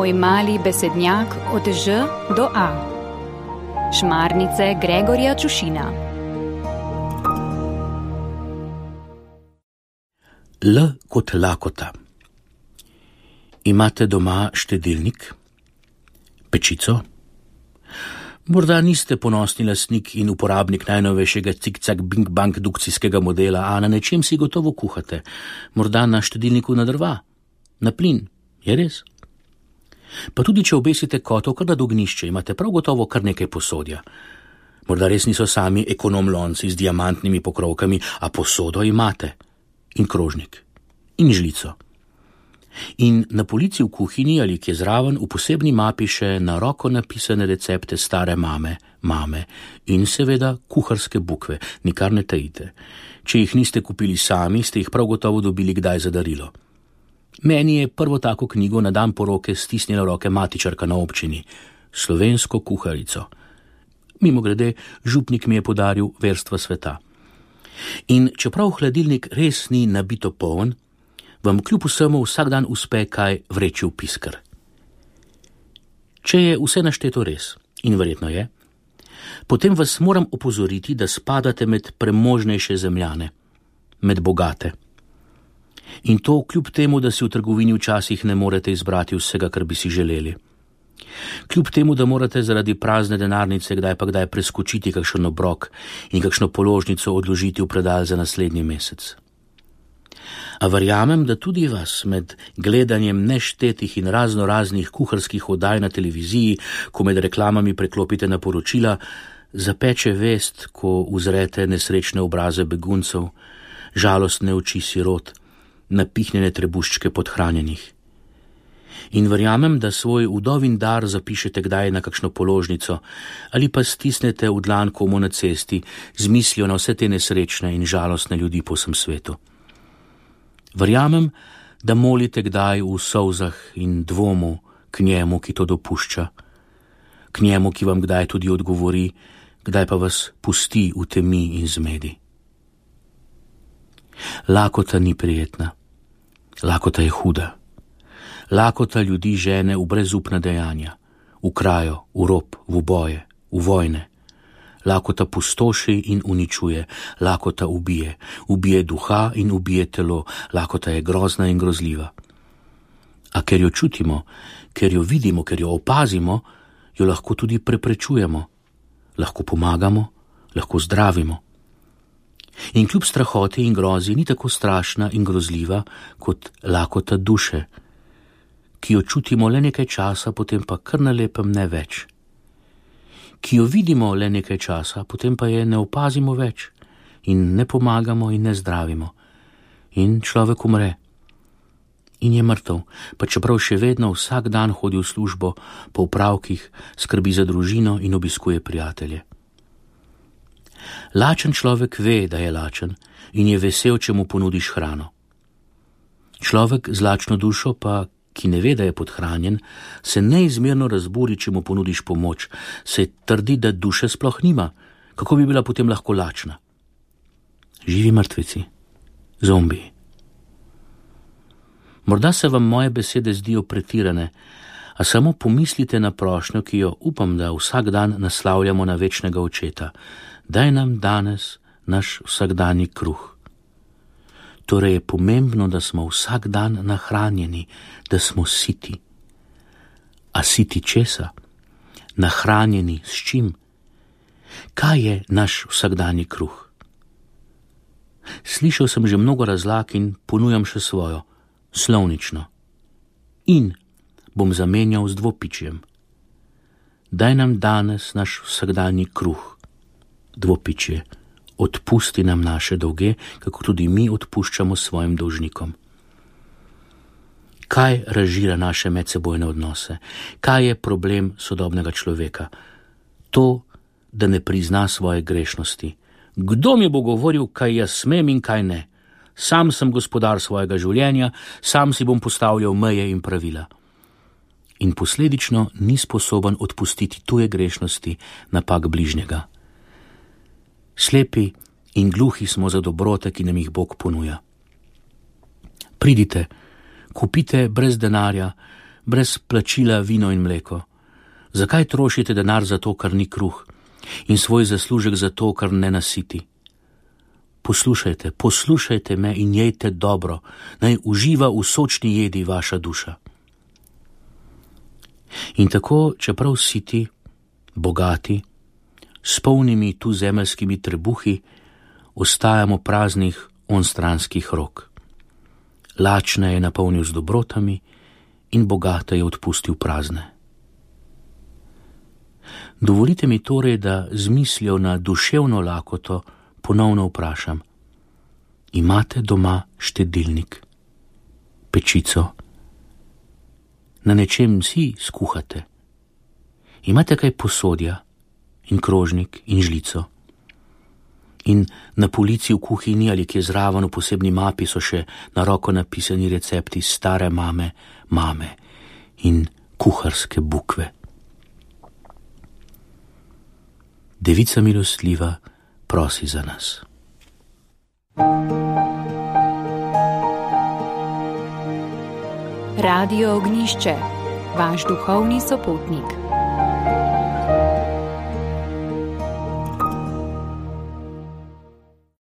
Tvoj mali besednjak od Ž do A. Šmarnice Gregorja Čušina. L kot lakota. Imate doma štedilnik? Pečico? Morda niste ponosni lastnik in uporabnik najnovejšega cik-cak bing-bang dukcijskega modela, a na nečem si gotovo kuhate. Morda na štedilniku na drva, na plin, je res? Pa tudi, če obesite kotov kar nad ognjišče, imate prav gotovo kar nekaj posodja. Morda res niso sami ekonom lonci z diamantnimi pokrovkami, a posodo imate. In krožnik. In žlico. In na polici v kuhinji ali kje zraven v posebni mapi še na roko napisane recepte stare mame in seveda kuharske bukve, nikar ne tajite. Če jih niste kupili sami, ste jih prav gotovo dobili kdaj za darilo. Meni je prvo tako knjigo na dan poroke stisnila v roke matičarka na občini, slovensko kuharico. Mimogrede, župnik mi je podaril Verstva sveta. In čeprav hladilnik res ni nabito poln, vam kljub vsemu vsak dan uspe kaj vreči v piskr. Če je vse našteto res, in verjetno je, potem vas moram opozoriti, da spadate med premožnejše zemljane, med bogate. In to kljub temu, da si v trgovini včasih ne morete izbrati vsega, kar bi si želeli. Kljub temu, da morate zaradi prazne denarnice kdaj pa kdaj preskočiti kakšen obrok in kakšno položnico odložiti v predal za naslednji mesec. A verjamem, da tudi vas med gledanjem neštetih in raznoraznih kuharskih oddaj na televiziji, ko med reklamami preklopite na poročila, zapeče vest, ko uzrete nesrečne obraze beguncev, žalostne oči sirot, napihnjene trebuščke podhranjenih. In verjamem, da svoj vdovin dar zapišete kdaj na kakšno položnico ali pa stisnete v dlan komu na cesti z mislijo na vse te nesrečne in žalostne ljudi po vsem svetu. Verjamem, da molite kdaj v solzah in dvomu k njemu, ki to dopušča, k njemu, ki vam kdaj tudi odgovori, kdaj pa vas pusti v temi in zmedi. Lakota ni prijetna, lakota je huda. Lakota ljudi žene v brezupna dejanja, v krajo, v rob, v boje, v vojne. Lakota pustoši in uničuje, lakota ubije duha in ubije telo, lakota je grozna in grozljiva. A ker jo čutimo, ker jo vidimo, ker jo opazimo, jo lahko tudi preprečujemo, lahko pomagamo, lahko zdravimo. In kljub strahoti in grozi ni tako strašna in grozljiva kot lakota duše, ki jo čutimo le nekaj časa, potem pa kar na lepem ne več. Ki jo vidimo le nekaj časa, potem pa je ne opazimo več in ne pomagamo in ne zdravimo. In človek umre. In je mrtev, pa čeprav še vedno vsak dan hodi v službo, po opravkih, skrbi za družino in obiskuje prijatelje. Lačen človek ve, da je lačen in je vesel, če mu ponudiš hrano. Človek z lačno dušo pa, ki ne ve, da je podhranjen, se neizmerno razburi, če mu ponudiš pomoč, se trdi, da duše sploh nima, kako bi bila potem lahko lačna. Živi mrtvici, zombiji. Morda se vam moje besede zdijo pretirane, a samo pomislite na prošnjo, ki jo upam, da vsak dan naslavljamo na večnega očeta. Daj nam danes naš vsakdanji kruh. Torej je pomembno, da smo vsak dan nahranjeni, da smo siti. A siti česa? Nahranjeni s čim? Kaj je naš vsakdanji kruh? Slišal sem že mnogo razlag in ponujam še svojo, slovnično. In bom zamenjal z dvopičjem. Daj nam danes naš vsakdanji kruh, dvopičje. Odpusti nam naše dolge, kako tudi mi odpuščamo svojim dolžnikom. Kaj razžira naše medsebojne odnose? Kaj je problem sodobnega človeka? To, da ne prizna svoje grešnosti. Kdo mi bo govoril, kaj jaz smem in kaj ne? Sam sem gospodar svojega življenja, sam si bom postavljal meje in pravila. In posledično ni sposoben odpustiti tuje grešnosti, napak bližnjega. Slepi in gluhi smo za dobrote, ki nam jih Bog ponuja. Pridite, kupite brez denarja, brez plačila vino in mleko? Zakaj trošite denar za to, kar ni kruh, in svoj zaslužek za to, kar ne nasiti? Poslušajte me in jejte dobro, naj uživa v sočni jedi vaša duša. In tako, čeprav siti, bogati, s polnimi tu zemeljskimi trebuhi, ostajamo praznih onstranskih rok. Lačne je napolnil z dobrotami in bogate je odpustil prazne. Dovolite mi torej, da z mislijo na duševno lakoto ponovno vprašam: imate doma štedilnik, pečico? Na nečem si skuhate? Imate kaj posodja in krožnik in žlico? In na polici v kuhinji ali kje zraven v posebni mapi so še na roko napisani recepti stare mame in kuharske bukve. Devica milostljiva prosi za nas. Radio Ognjišče, vaš duhovni sopotnik.